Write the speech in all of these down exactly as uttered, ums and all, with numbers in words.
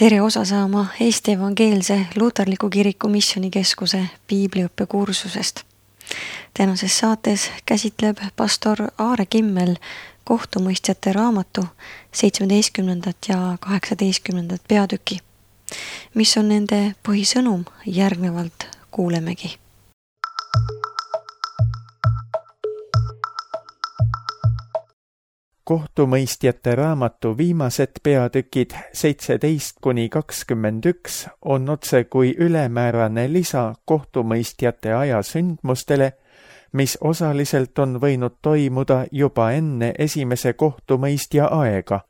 Tere osa saama Eesti Evangeelse Luterliku Kiriku Missioonikeskuse piibliõppekursusest. Tänases saates käsitleb pastor Aare Kimmel kohtumõistjate raamatu seitsmeteistkümnendat ja kaheksateistkümnendat peatüki. Mis on nende põhisõnum, järgnevalt kuulemegi. Kohtumõistjate raamatu viimased peatükid seitseteist kuni kakskümmend üks on otse kui ülemäärane lisa kohtumõistjate aja sündmustele, mis osaliselt on võinud toimuda juba enne esimese kohtumõistja aega.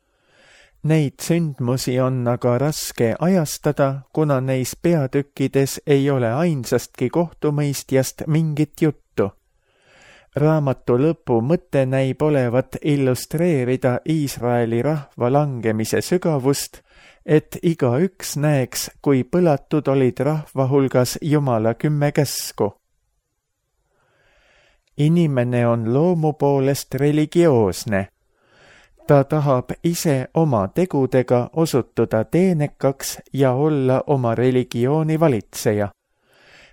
Neid sündmusi on aga raske ajastada, kuna neis peatükkides ei ole ainsastki kohtumõistjast mingit juttu. Raamatu lõpu mõte näib olevat illustreerida Iisraeli rahva langemise sügavust, et igaüks näeks, kui põlatud olid rahva hulgas Jumala kümme käsku. Inimene on loomu poolest religioosne. Ta tahab ise oma tegudega osutuda teenekaks ja olla oma religiooni valitseja.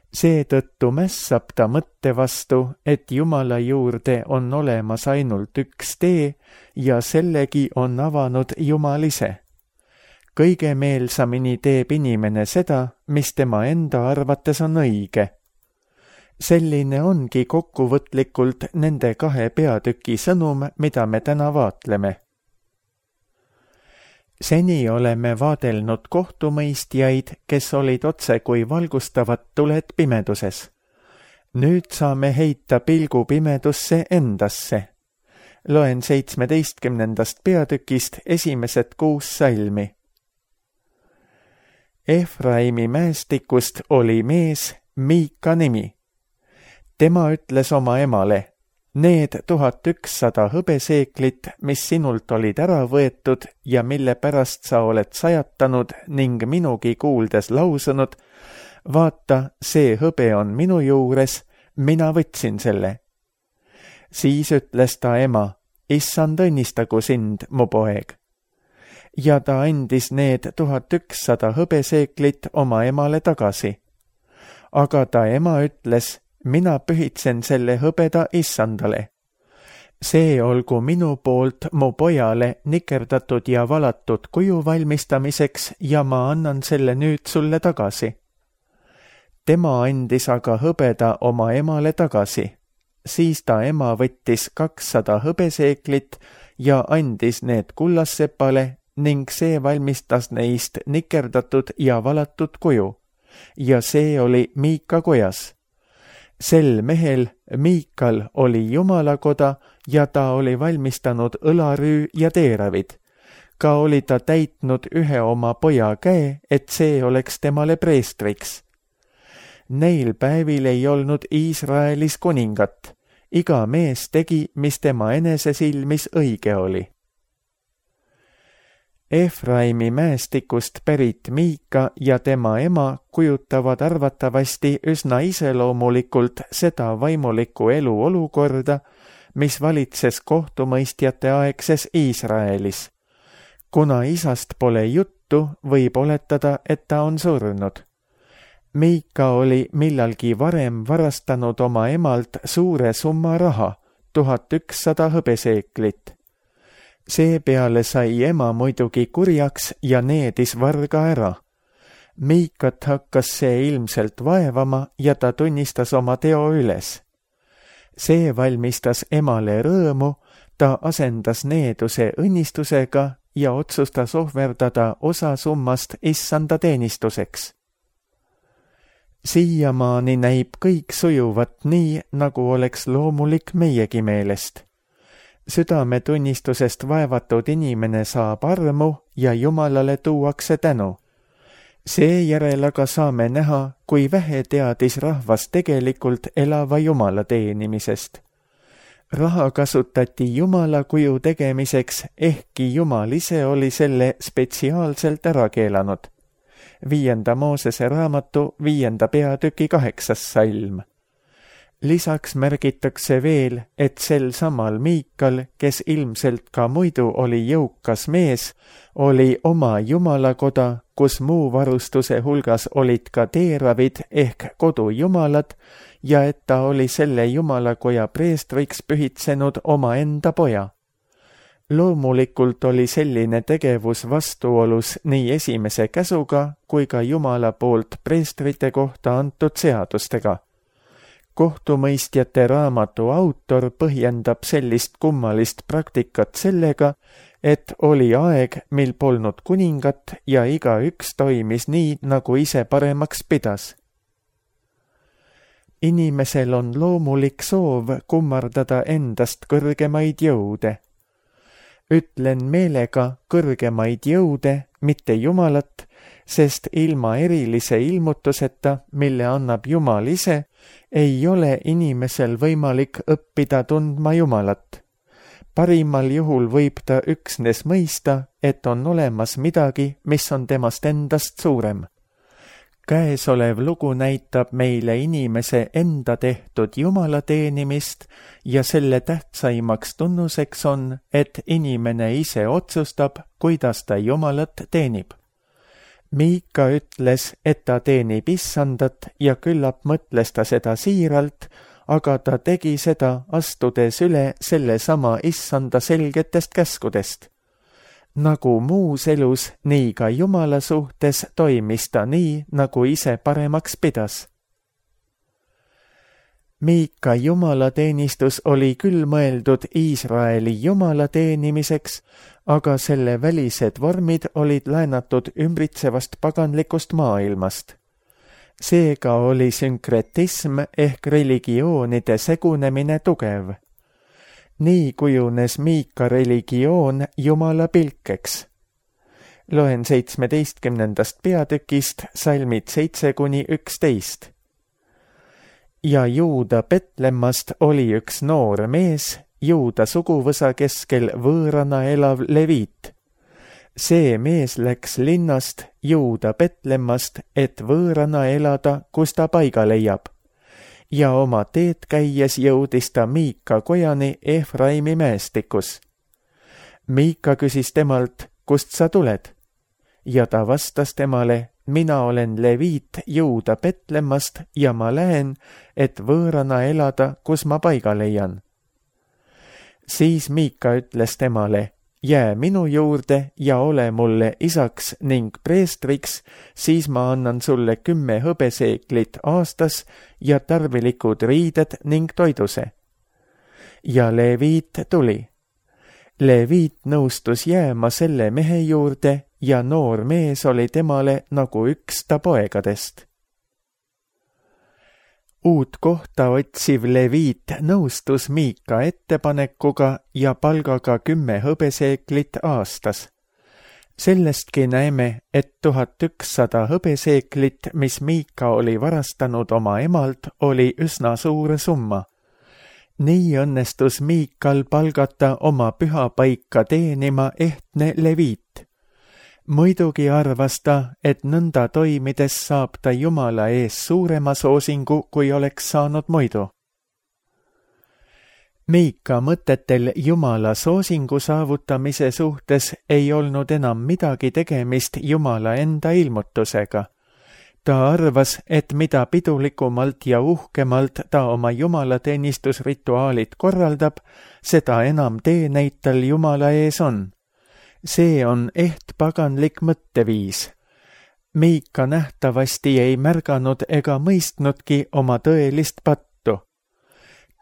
Seetõttu mässab ta mõtte vastu, et Jumala juurde on olemas ainult üks tee ja sellegi on avanud Jumal ise. Kõige meelsamini teeb inimene seda, mis tema enda arvates on õige. Selline ongi kokkuvõtlikult nende kahe peatüki sõnum, mida me täna vaatleme. Seni oleme vaadelnud kohtumõistjaid, kes olid otse kui valgustavad tuled pimeduses. Nüüd saame heita pilgu pimedusse endasse. Loen seitsmeteistkümnendast peatükist esimesed kuus salmi. Efraimi mäestikust oli mees Miika nimi. Tema ütles oma emale: need tuhat ükssada hõbeseeklit, mis sinult olid ära võetud ja mille pärast sa oled sajatanud ning minugi kuuldes lausunud, vaata, see hõbe on minu juures, mina võtsin selle. Siis ütles ta ema: issand õnnistagu sind, mu poeg. Ja ta andis need tuhat ükssada hõbeseeklit oma emale tagasi. Aga ta ema ütles: mina pühitsen selle hõbeda issandale. See olgu minu poolt mu pojale nikerdatud ja valatud kuju valmistamiseks ja ma annan selle nüüd sulle tagasi. Tema andis aga hõbeda oma emale tagasi. Siis ta ema võttis kakssada hõbeseeklit ja andis need kullassepale ning see valmistas neist nikerdatud ja valatud kuju. Ja see oli Miika kojas. Sel mehel, Miikal, oli Jumalakoda ja ta oli valmistanud õlarüü ja teeravid. Ka oli ta täitnud ühe oma poja käe, et see oleks temale preestriks. Neil päevil ei olnud Iisraelis kuningat. Iga mees tegi, mis tema enese silmis õige oli. Efraimi mäestikust pärit Miika ja tema ema kujutavad arvatavasti üsna iseloomulikult seda vaimulikku elu olukorda, mis valitses kohtumõistjate aegses Iisraelis. Kuna isast pole juttu, võib oletada, et ta on surnud. Miika oli millalgi varem varastanud oma emalt suure summa raha, tuhat ükssada hõbeseeklit. Seepeale sai ema muidugi kurjaks ja needis varga ära. Miikat hakkas see ilmselt vaevama ja ta tunnistas oma teo üles. See valmistas emale rõõmu, ta asendas needuse õnnistusega ja otsustas ohverdada osa summast issanda teenistuseks. Siiamaani näib kõik sujuvat nii, nagu oleks loomulik meiegi meelest. Südametunnistusest vaevatud inimene saab armu ja Jumalale tuuakse tänu. Seejärel aga saame näha, kui vähe teadis rahvas tegelikult elava Jumala teenimisest. Raha kasutati Jumala kuju tegemiseks, ehkki Jumal ise oli selle spetsiaalselt ära keelanud. Viienda Moosese raamatu viienda peatüki kaheksas salm. Lisaks märgitakse veel, et sel samal Miikal, kes ilmselt ka muidu oli jõukas mees, oli oma jumalakoda, kus muu varustuse hulgas olid ka teeravid ehk kodujumalad ja et ta oli selle jumalakoja preestriks pühitsenud omaenda poja. Loomulikult oli selline tegevus vastuolus nii esimese käsuga kui ka Jumala poolt preestrite kohta antud seadustega. Kohtumõistjate raamatu autor põhjendab sellist kummalist praktikat sellega, et oli aeg, mil polnud kuningat ja igaüks toimis nii, nagu ise paremaks pidas. Inimesel on loomulik soov kummardada endast kõrgemaid jõude. Ütlen meelega kõrgemaid jõude, mitte Jumalat, sest ilma erilise ilmutuseta, mille annab Jumal ise, ei ole inimesel võimalik õppida tundma Jumalat. Parimal juhul võib ta üksnes mõista, et on olemas midagi, mis on temast endast suurem. Käesolev lugu näitab meile inimese enda tehtud Jumala teenimist ja selle tähtsaimaks tunnuseks on, et inimene ise otsustab, kuidas ta Jumalat teenib. Miika ütles, et ta teenib issandat ja küllap mõtles ta seda siiralt, aga ta tegi seda astudes üle selle sama issanda selgetest käskudest. Nagu muus elus, nii ka Jumala suhtes toimis ta nii, nagu ise paremaks pidas. Miika jumalateenistus oli küll mõeldud Iisraeli jumala teenimiseks, aga selle välised vormid olid laenatud ümbritsevast paganlikust maailmast. Seega oli sünkretism ehk religioonide segunemine tugev. Nii kujunes Miika religioon Jumala pilkeks. Loen seitsmeteistkümnendast peatükist salmid seitse kuni üksteist. Ja Juuda Betlemmast oli üks noor mees, Juuda suguvõsa keskel võõrana elav leviit. See mees läks linnast Juuda Betlemmast, et võõrana elada, kus ta paiga leiab. Ja oma teed käies jõudis ta Miika kojani Efraimi mäestikus. Miika küsis temalt, kust sa tuled? Ja ta vastas temale, mina olen leviit Juuda Betlemmast ja ma lähen, et võõrana elada, kus ma paiga leian. Siis Miika ütles temale, jää minu juurde ja ole mulle isaks ning preestriks, siis ma annan sulle kümme hõbeseeklit aastas ja tarvilikud riided ning toiduse. Ja leviit tuli. Leviit nõustus jääma selle mehe juurde ja noor mees oli temale nagu üks ta poegadest. Uut kohta otsiv leviit nõustus Miika ettepanekuga ja palgaga kümme hõbeseeklit aastas. Sellestki näeme, et tuhat ükssada hõbeseeklit, mis Miika oli varastanud oma emalt, oli üsna suur summa. Nii õnnestus Miikal palgata oma pühapaika teenima ehtne leviit. Muidugi arvas ta, et nõnda toimides saab ta Jumala ees suurema soosingu, kui oleks saanud muidu. Miika mõtetel Jumala soosingu saavutamise suhtes ei olnud enam midagi tegemist Jumala enda ilmutusega. Ta arvas, et mida pidulikumalt ja uhkemalt ta oma jumalateenistusrituaalid korraldab, seda enam teeneid tal Jumala ees on. See on eht paganlik mõtteviis. Miika nähtavasti ei märganud ega mõistnudki oma tõelist pattu.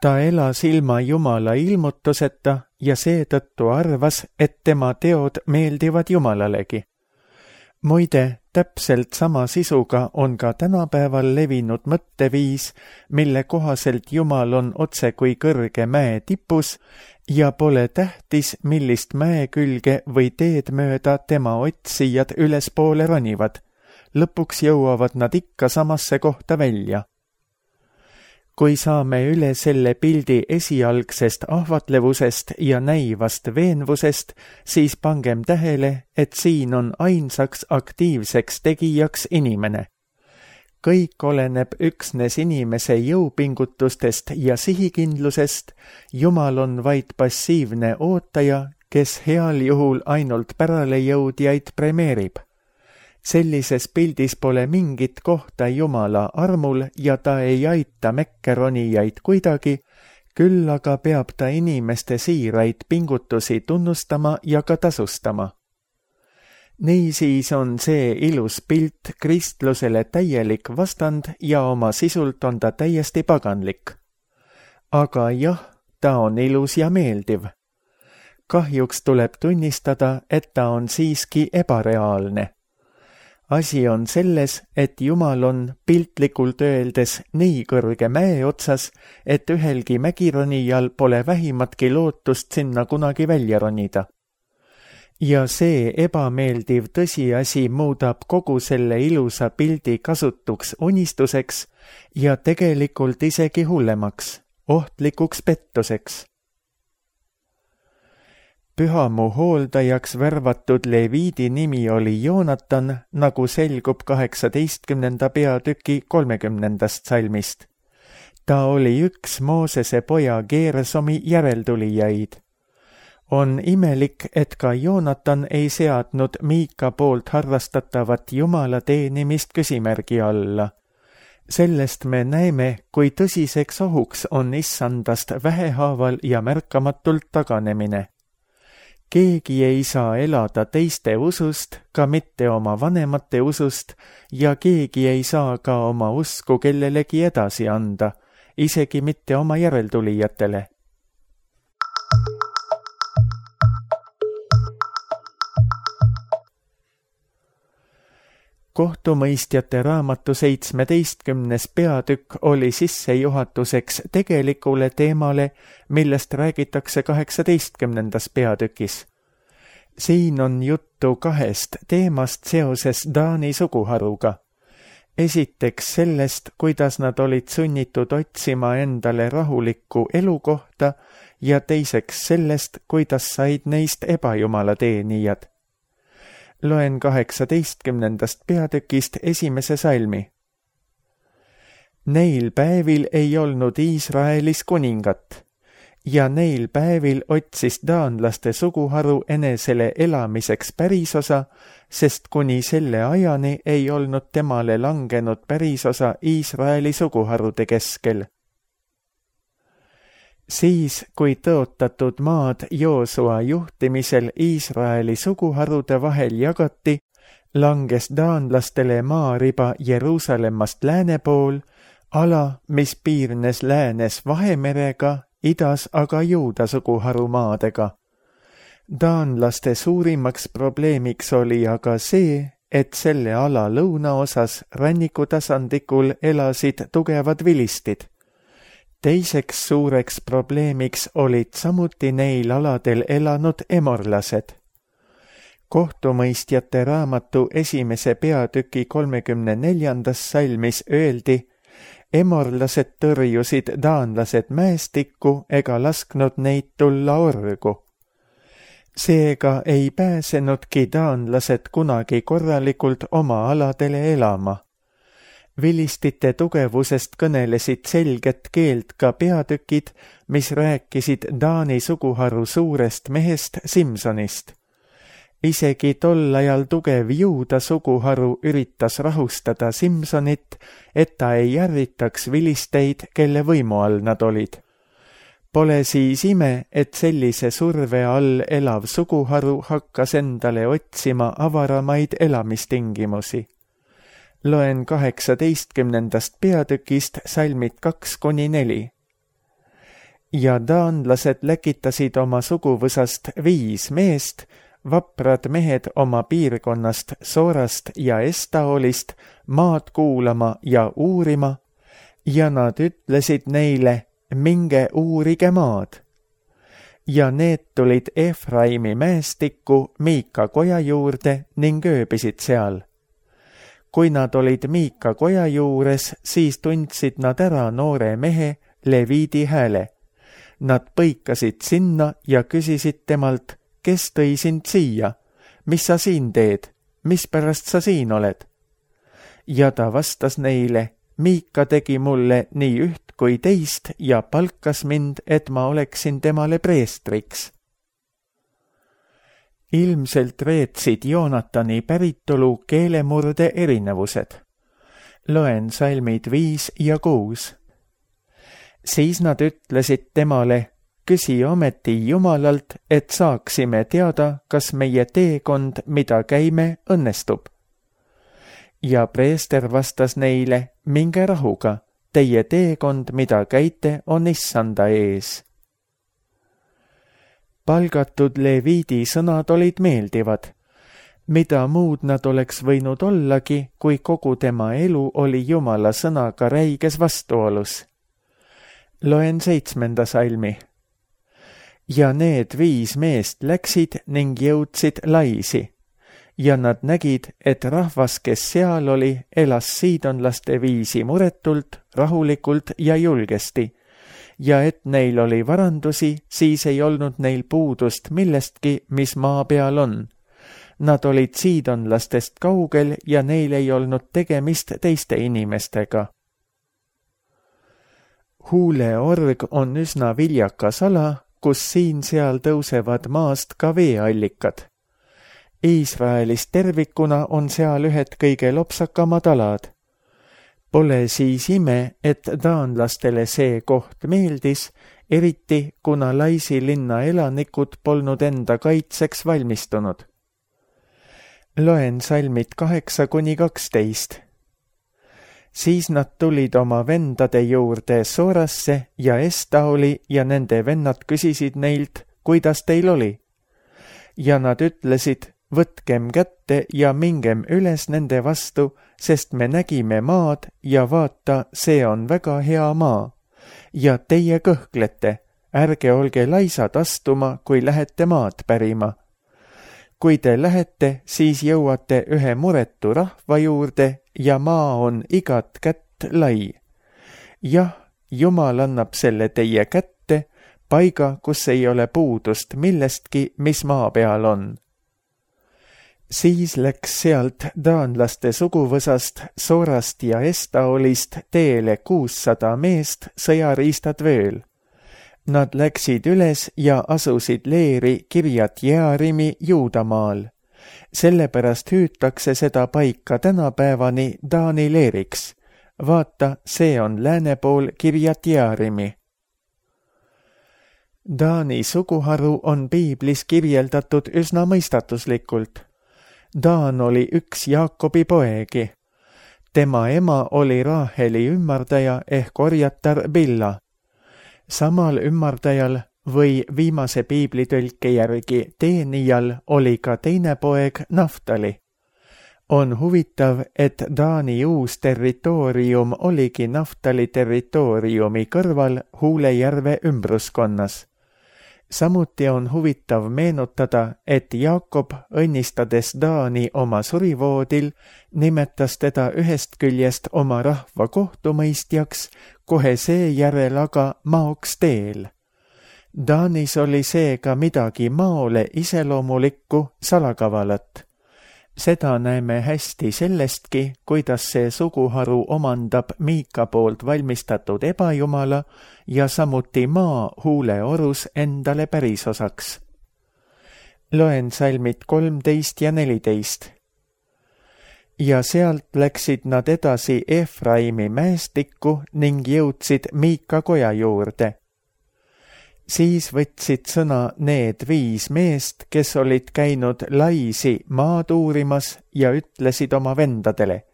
Ta elas ilma Jumala ilmutuseta ja seetõttu arvas, et tema teod meeldivad Jumalalegi. Muide, täpselt sama sisuga on ka tänapäeval levinud mõtteviis, mille kohaselt Jumal on otse kui kõrge mäe tipus ja pole tähtis, millist mäe külge või teed mööda tema otsijad ülespoole ronivad. Lõpuks jõuavad nad ikka samasse kohta välja. Kui saame üle selle pildi esialgsest ahvatlevusest ja näivast veenvusest, siis pangem tähele, et siin on ainsaks aktiivseks tegijaks inimene. kõik oleneb üksnes inimese jõupingutustest ja sihikindlusest, Jumal on vaid passiivne ootaja, kes heal juhul ainult päralejõudjaid premeerib. Sellises pildis pole mingit kohta Jumala armul ja ta ei aita mekkeronijaid kuidagi, küll aga peab ta inimeste siiraid pingutusi tunnustama ja ka tasustama. Niisiis on see ilus pilt kristlusele täielik vastand ja oma sisult on ta täiesti paganlik. Aga jah, ta on ilus ja meeldiv. Kahjuks tuleb tunnistada, et ta on siiski ebareaalne. Asi on selles, et Jumal on piltlikult öeldes nii kõrge mäe otsas, et ühelgi mägironijal pole vähimatki lootust sinna kunagi välja ronida. Ja see ebameeldiv tõsiasi muudab kogu selle ilusa pildi kasutuks unistuseks ja tegelikult isegi hullemaks, ohtlikuks pettuseks. Pühamu hooldajaks värvatud Leviidi nimi oli Joonatan, nagu selgub kaheksateistkümnenda peatüki kolmekümnendast salmist. Ta oli üks Moosese poja Geersomi järeltulijaid. On imelik, et ka Joonatan ei seadnud Miika poolt harrastatavat Jumala teenimist küsimärgi alla. Sellest me näeme, kui tõsiseks ohuks on issandast vähehaaval ja märkamatult taganemine. Keegi ei saa elada teiste usust, ka mitte oma vanemate usust, ja keegi ei saa ka oma usku kellelegi edasi anda, isegi mitte oma järeltulijatele. Kohtumõistjate raamatu seitsmeteistkümnes peatükk oli sissejuhatuseks tegelikule teemale, millest räägitakse kaheksateistkümnendas peatükis. Siin on juttu kahest teemast seoses Daani suguharuga. Esiteks sellest, kuidas nad olid sunnitud otsima endale rahulikku elukohta ja teiseks sellest, kuidas said neist ebajumala teenijad. Loen kaheksateistkümnendast peatükist esimese salmi. Neil päevil ei olnud Iisraelis kuningat, ja neil päevil otsis daanlaste suguharu enesele elamiseks pärisosa, sest kuni selle ajani ei olnud temale langenud pärisosa Iisraeli suguharude keskel. Siis, kui tõotatud maad Joosua juhtimisel Iisraeli suguharude vahel jagati, langes daanlastele maariba Jeruusalemmast lääne pool, ala, mis piirnes läänes Vahemerega, idas aga Juuda suguharu maadega. Daanlaste suurimaks probleemiks oli aga see, et selle ala lõunaosas rannikutasandikul elasid tugevad vilistid. Teiseks suureks probleemiks olid samuti neil aladel elanud emorlased. Kohtumõistjate raamatu esimese peatüki kolmekümne neljandas salmis öeldi, emorlased tõrjusid daanlased mäestikku ega lasknud neid tulla orgu. Seega ei pääsenudki daanlased kunagi korralikult oma aladele elama. Vilistite tugevusest kõnelesid selget keelt ka peatükid, mis rääkisid Daani suguharu suurest mehest Simsonist. Isegi tol ajal tugev Juuda suguharu üritas rahustada Simsonit, et ta ei ärritaks vilisteid, kelle võimu all nad olid. Pole siis ime, et sellise surve all elav suguharu hakkas endale otsima avaramaid elamistingimusi. Loen kaheksateistkümnendast peatükist salmid kaks kuni neli. Ja daanlased läkitasid oma suguvõsast viis meest, vaprad mehed oma piirkonnast Soorast ja Estaolist maad kuulama ja uurima, ja nad ütlesid neile, minge uurige maad. Ja need tulid Efraimi mäestikku Miika koja juurde ning ööbisid seal. Kui nad olid Miika koja juures, siis tundsid nad ära noore mehe Leviidi hääle. Nad põikasid sinna ja küsisid temalt, kes tõi sind siia, mis sa siin teed, mispärast sa siin oled? ja ta vastas neile, Miika tegi mulle nii üht kui teist ja palkas mind, et ma oleksin temale preestriks. Ilmselt reetsid Joonatani päritolu keelemurde erinevused. Loen salmid viis ja kuus. Siis nad ütlesid temale, küsi ometi Jumalalt, et saaksime teada, kas meie teekond, mida käime, õnnestub. Ja preester vastas neile, minge rahuga, teie teekond, mida käite, on issanda ees. Palgatud Leviidi sõnad olid meeldivad. Mida muud nad oleks võinud ollagi, kui kogu tema elu oli Jumala sõnaga räiges vastuolus. Loen seitsmenda salmi. Ja need viis meest läksid ning jõudsid Laisi. Ja nad nägid, et rahvas, kes seal oli, elas siidonlaste viisi muretult, rahulikult ja julgesti. Ja et neil oli varandusi, siis ei olnud neil puudust millestki, mis maa peal on. Nad olid siidonlastest kaugel ja neil ei olnud tegemist teiste inimestega. Huuleorg on üsna viljakas ala, kus siin-seal tõusevad maast ka veeallikad. Iisraelis tervikuna on seal ühed kõige lopsakamad alad. Pole siis ime, et taanlastele see koht meeldis, eriti kuna Laisi linna elanikud polnud enda kaitseks valmistunud. Loen salmid kaheksa kuni kaksteist. Siis nad tulid oma vendade juurde Soorasse ja Estaoli ja nende vennad küsisid neilt, kuidas teil oli. Ja nad ütlesid, võtkem kätte ja mingem üles nende vastu, sest me nägime maad ja vaata, see on väga hea maa. Ja teie kõhklete, ärge olge laisad astuma, kui lähete maad pärima. Kui te lähete, siis jõuate ühe muretu rahva juurde ja maa on igat kätt lai. Jah, Jumal annab selle teie kätte, paiga, kus ei ole puudust millestki, mis maa peal on. Siis läks sealt taanlaste suguvõsast, Soorast ja Estaolist teele kuussada meest, sõjariistad vööl. Nad läksid üles ja asusid leeri Kirjat Jearimi Juudamaal. Sellepärast hüütakse seda paika tänapäevani Taani leeriks. Vaata, see on lääne pool Kirjat Jearimi. Taani suguharu on piiblis kirjeldatud üsna mõistatuslikult. Taan oli üks Jaakobi poegi. Tema ema oli Raaheli ümmardaja ehk orjatar Billa. Samal ümmardajal või viimase piiblitõlke järgi teenijal oli ka teine poeg Naftali. On huvitav, et Taani uus territoorium oligi Naftali territooriumi kõrval Huulejärve ümbruskonnas. Samuti on huvitav meenutada, et Jaakob, õnnistades Taani oma surivoodil, nimetas teda ühest küljest oma rahva kohtumõistjaks, kohe seejärel aga maoks teel. Taanis oli seega midagi maole iseloomulikku salakavalat. Seda näeme hästi sellestki, kuidas see suguharu omandab Miika poolt valmistatud ebajumala ja samuti maa huuleorus endale pärisosaks. Loen salmid kolmteist ja neliteist. Ja sealt läksid nad edasi Efraimi mäestikku ning jõudsid Miika koja juurde. Siis võtsid sõna need viis meest, kes olid käinud Laisi maad uurimas ja ütlesid oma vendadele.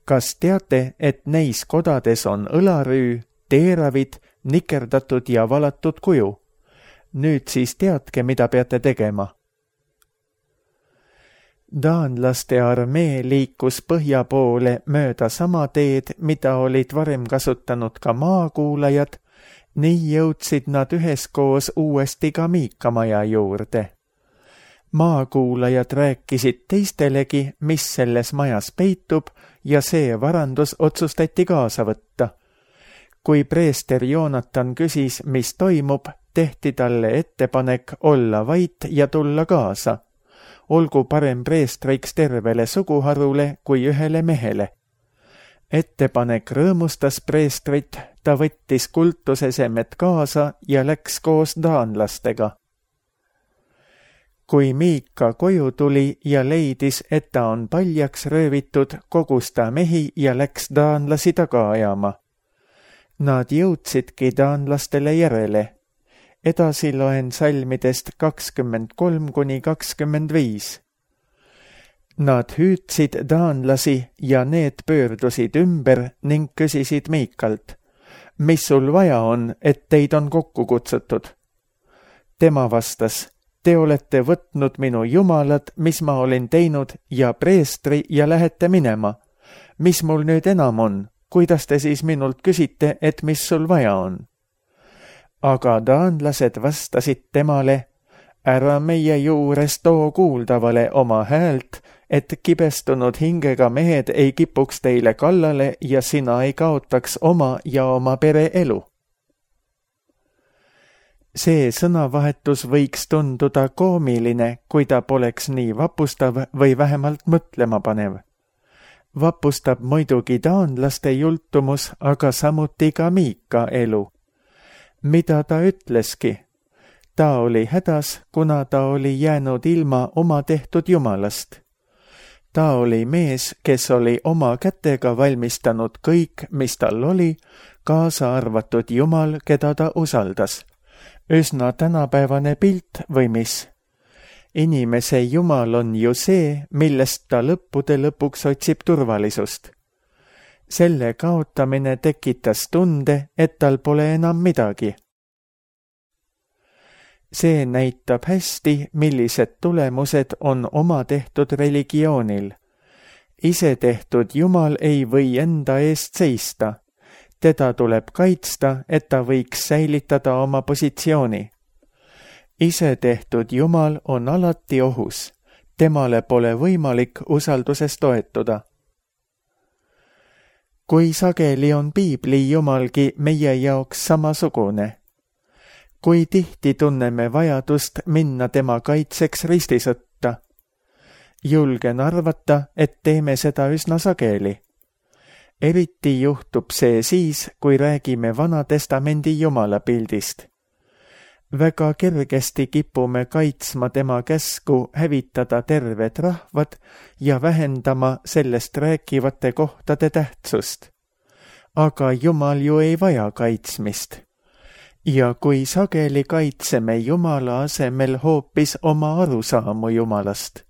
Kas teate, et neis kodades on õlarüü, teeravid, nikerdatud ja valatud kuju? Nüüd siis teadke, mida peate tegema. Taanlaste armee liikus põhja poole mööda sama teed, mida olid varem kasutanud ka maakuulajad. Nii jõudsid nad üheskoos uuesti ka Miika maja juurde. Maakuulajad rääkisid teistelegi, mis selles majas peitub, ja see varandus otsustati kaasa võtta. Kui preester Joonatan küsis, mis toimub, tehti talle ettepanek olla vait ja tulla kaasa. Olgu parem preestriks tervele suguharule kui ühele mehele. ettepanek rõõmustas preestrit, ta võttis kultusesemed kaasa ja läks koos taanlastega. Kui Miika koju tuli ja leidis, et ta on paljaks röövitud, kogus ta mehi ja läks taanlasi taga ajama. Nad jõudsidki taanlastele järele. Edasi loen salmidest kakskümmend kolm kuni kakskümmend viis. Nad hüüdsid taanlasi ja need pöördusid ümber ning küsisid Miikalt, mis sul vaja on, et teid on kokku kutsutud? Tema vastas, te olete võtnud minu jumalad, mis ma olin teinud, ja preestri ja lähete minema. Mis mul nüüd enam on? Kuidas te siis minult küsite, et mis sul vaja on? Aga taanlased vastasid temale, ära meie juures too kuuldavale oma häält, et kibestunud hingega mehed ei kipuks teile kallale ja sina ei kaotaks oma ja oma pere elu. See sõnavahetus võiks tunduda koomiline, kui ta poleks nii vapustav või vähemalt mõtlema panev. Vapustab muidugi taanlaste jultumus, aga samuti ka Miika elu. Mida ta ütleski? Ta oli hädas, kuna ta oli jäänud ilma oma tehtud jumalast. Ta oli mees, kes oli oma kätega valmistanud kõik, mis tal oli, kaasa arvatud Jumal, keda ta usaldas. Üsna tänapäevane pilt või mis? Inimese Jumal on ju see, millest ta lõppude lõpuks otsib turvalisust. Selle kaotamine tekitas tunde, et tal pole enam midagi. See näitab hästi, millised tulemused on oma tehtud religioonil. Ise tehtud Jumal ei või enda eest seista. Teda tuleb kaitsta, et ta võiks säilitada oma positsiooni. Ise tehtud Jumal on alati ohus. Temale pole võimalik usalduses toetuda. Kui sageli on piibli Jumalgi meie jaoks samasugune? Kui tihti tunneme vajadust minna tema kaitseks ristisõtta? Julgen arvata, et teeme seda üsna sageli. Eriti juhtub see siis, kui räägime Vana Testamendi Jumala pildist. Väga kergesti kipume kaitsma tema käsku hävitada terved rahvad ja vähendama sellest rääkivate kohtade tähtsust. Aga Jumal ju ei vaja kaitsmist. Ja kui sageli kaitseme Jumala asemel hoopis oma arusaamu Jumalast.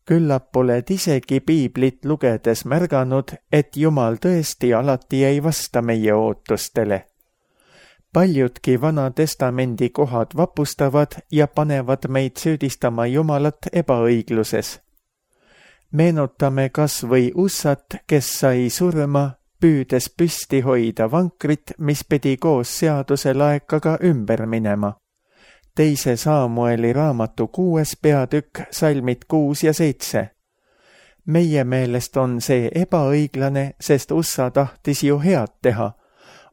Küllap oled isegi piiblit lugedes märganud, et Jumal tõesti alati ei vasta meie ootustele. Paljudki Vana Testamendi kohad vapustavad ja panevad meid süüdistama Jumalat ebaõigluses. Meenutame kas või Ussat, kes sai surma, püüdes püsti hoida vankrit, mis pidi koos seaduse laekaga ümber minema. Teise Saamueli raamatu kuues peatükk, salmid kuus ja seitse. Meie meelest on see ebaõiglane, sest Ussa tahtis ju head teha,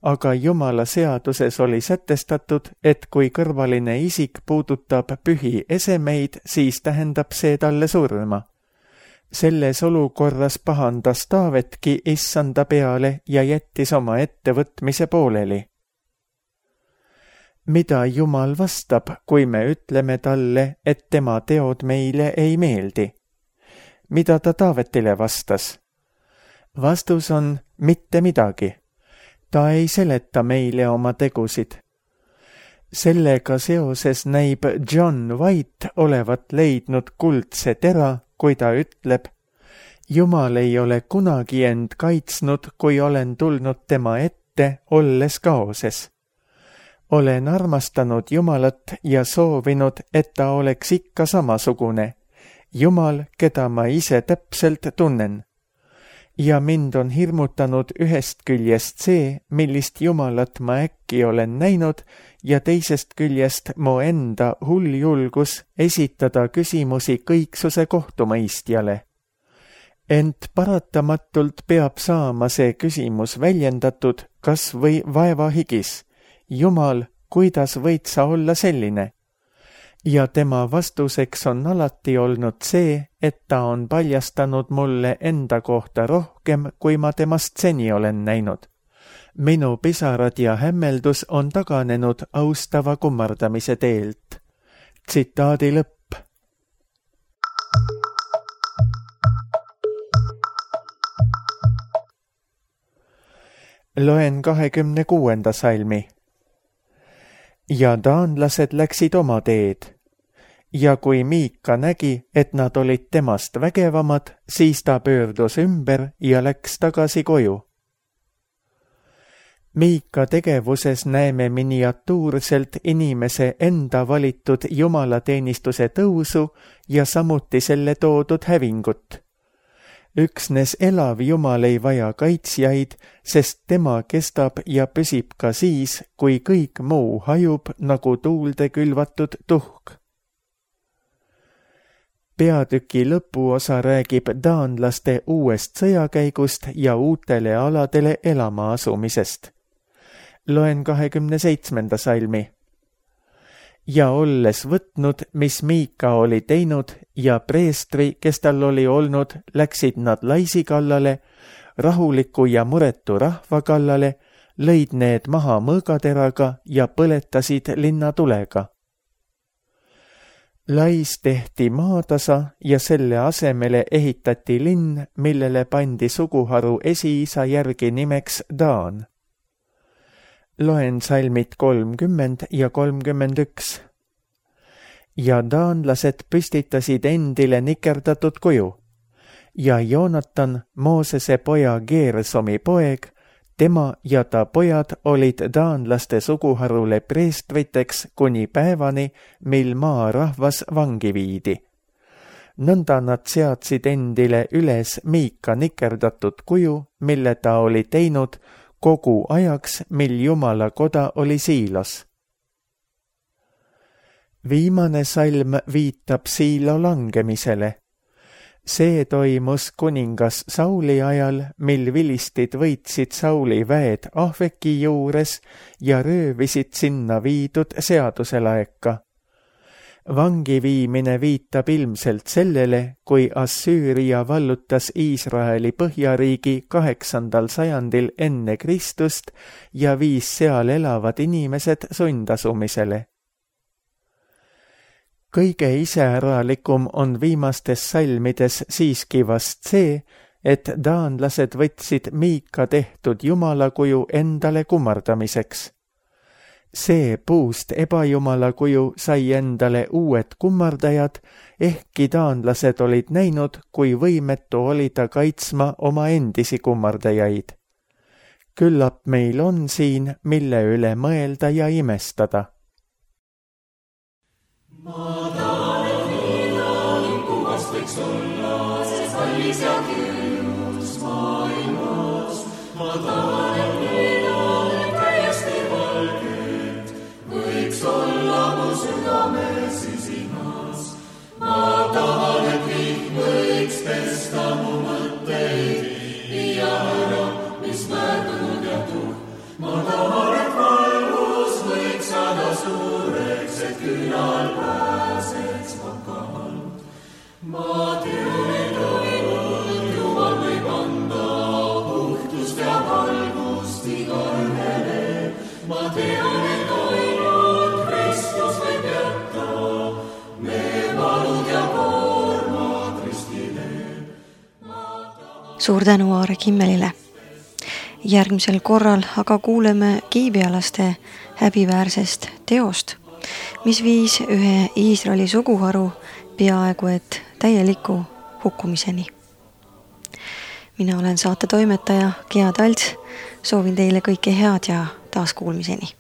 aga Jumala seaduses oli sätestatud, et kui kõrvaline isik puudutab pühi esemeid, siis tähendab see talle surma. Selles olukorras pahandas Taavetki issanda peale ja jättis oma ettevõtmise pooleli. Mida Jumal vastab, kui me ütleme talle, et tema teod meile ei meeldi? Mida ta Taavetile vastas? Vastus on mitte midagi. Ta ei seleta meile oma tegusid. Sellega seoses näib John White olevat leidnud kuldse tera, kui ta ütleb, Jumal ei ole kunagi end kaitsnud, kui olen tulnud tema ette, olles kaoses. Olen armastanud Jumalat ja soovinud, et ta oleks ikka samasugune. Jumal, keda ma ise täpselt tunnen. Ja mind on hirmutanud ühest küljest see, millist Jumalat ma äkki olen näinud, ja teisest küljest mu enda hull julgus esitada küsimusi kõiksuse kohtumõistjale. Ent paratamatult peab saama see küsimus väljendatud kas või vaevahigis. Jumal, kuidas võid sa olla selline? ja tema vastuseks on alati olnud see, et ta on paljastanud mulle enda kohta rohkem, kui ma temast seni olen näinud. Minu pisarad ja hämmeldus on taganenud austava kummardamise teelt. Tsitaadi lõpp. Loen kahekümne kuuenda salmi. Ja taanlased läksid oma teed. Ja kui Miika nägi, et nad olid temast vägevamad, siis ta pöördus ümber ja läks tagasi koju. Miika tegevuses näeme miniatuurselt inimese enda valitud jumalateenistuse tõusu ja samuti selle toodud hävingut. Üksnes elav Jumal ei vaja kaitsjaid, sest tema kestab ja püsib ka siis, kui kõik muu hajub nagu tuulde külvatud tuhk. Peatüki lõpuosa räägib taanlaste uuest sõjakäigust ja uutele aladele elama asumisest. Loen kahekümne seitsmenda salmi. Ja olles võtnud, mis Miika oli teinud, ja preestri, kes tal oli olnud, läksid nad laisi kallale, rahuliku ja muretu rahva kallale, lõid need maha mõõgateraga ja põletasid linna tulega. Lais tehti maatasa ja selle asemele ehitati linn, millele pandi suguharu esiisa järgi nimeks Daan. Loen salmid kolmkümmend ja kolmkümmend üks. Ja taanlased püstitasid endile nikerdatud kuju. Ja Joonatan, Moosese poja Geersomi poeg, tema ja ta pojad olid taanlaste suguharule preestriteks kuni päevani, mil maarahvas vangi viidi. Nõnda nad seadsid endile üles Miika nikerdatud kuju, mille ta oli teinud kogu ajaks, mil Jumala koda oli Siilos. Viimane salm viitab Siilo langemisele. See toimus kuningas Sauli ajal, mil vilistid võitsid Sauli väed Ahveki juures ja röövisid sinna viidud seaduselaeka. Vangi viimine viitab ilmselt sellele, kui Assüüria vallutas Iisraeli põhjariigi kaheksandal sajandil enne Kristust ja viis seal elavad inimesed sundasumisele. Kõige iseäralikum on viimastes salmides siiski vast see, et taanlased võtsid Miika tehtud jumalakuju endale kummardamiseks. See puust ebajumalakuju sai endale uued kummardajad, ehkki taanlased olid näinud, kui võimetu oli ta kaitsma oma endisi kummardajaid. Küllap meil on siin, mille üle mõelda ja imestada. Ma tahan, et mida kuvast võiks olla, see kallis ja küljus maailmas. Ma tahan, et mida täiesti valget võiks olla mu südame sisimas. Ma tahan, et vihm võiks pesta mu mõtteid, viia ära, mis väärtunud ja tuhk. Ma tahan, et valgus võiks saada suureks, et küünal pääseks vakalt. Ma tean, et ainult Jumal võib anda puhtust ja valgust igaühele. Ma tean, et ainult Kristus võib jätta me valud ja koormad ristile. Suur tänu Aare Kimmelile. Järgmisel korral aga kuuleme kiibialaste häbiväärsest teost, mis viis ühe Iisraeli suguharu peaaegu et täieliku hukkumiseni. Mina olen saate toimetaja Gea Talts, soovin teile kõike head ja taas kuulmiseni.